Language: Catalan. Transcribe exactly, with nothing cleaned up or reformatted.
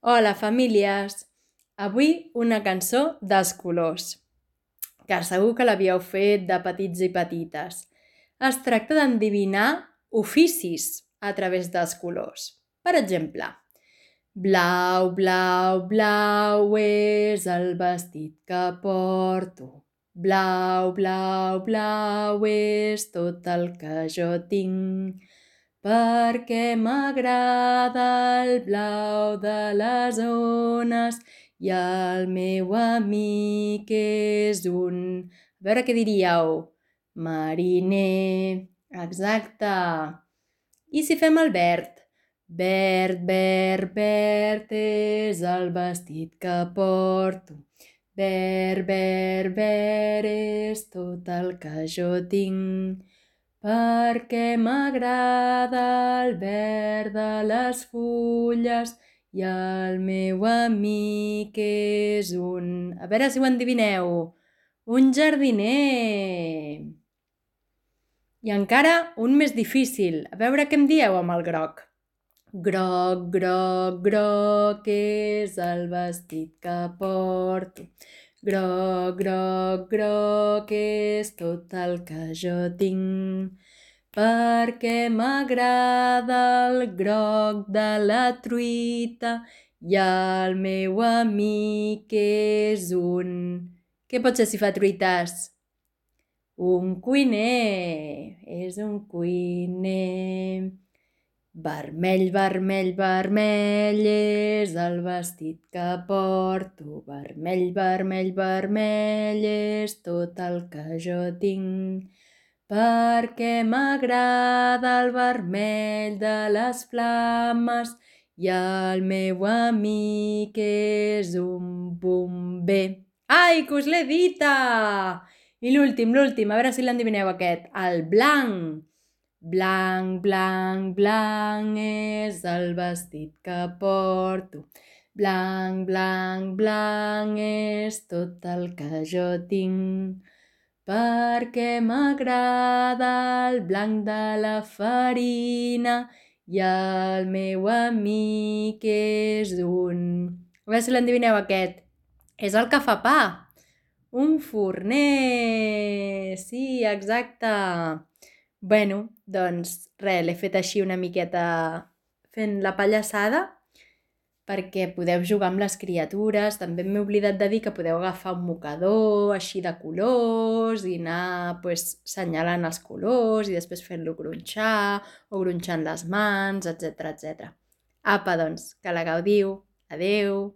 Hola, famílies! Avui una cançó dels colors, que segur que l'havíeu fet de petits i petites. Es tracta d'endevinar oficis a través dels colors. Per exemple, blau, blau, blau és el vestit que porto. Blau, blau, blau és tot el que jo tinc. Perquè m'agrada el blau de les ones i el meu amic és un... A veure què diríeu? Mariner. Exacte. I si fem el verd? Verd, verd, verd és el vestit que porto. Verd, verd, verd és tot el que jo tinc. Perquè m'agrada el verd de les fulles i el meu amic és un... A veure si ho endevineu. Un jardiner. I encara un més difícil. A veure què em dieu amb el groc. Groc, groc, groc és el vestit que porto. Groc, groc, groc és tot el que jo tinc. Perquè m'agrada el groc de la truita i el meu amic és un... Què pot ser si fa truites? Un cuiner. És un cuiner. Vermell, vermell, vermell és el vestit que porto. Vermell, vermell, vermell és tot el que jo tinc. Perquè m'agrada el vermell de les flames i el meu amic és un bomber. Ai, que us l'he dita! I l'últim, l'últim, a veure si l'endevineu aquest. El blanc. Blanc, blanc, blanc és el vestit que porto. Blanc, blanc, blanc és tot el que jo tinc. Perquè m'agrada el blanc de la farina i el meu amic és un... A veure si l'endevineu aquest. És el que fa pa. Un forner. Sí, exacte. Bueno, doncs res, l'he fet així una miqueta fent la pallassada perquè podeu jugar amb les criatures. També m'he oblidat de dir que podeu agafar un mocador així de colors i anar pues, senyalant els colors i després fent-lo gronxar o gronxant les mans, etcètera, etcètera. Apa, doncs, que la gaudiu. Adeu!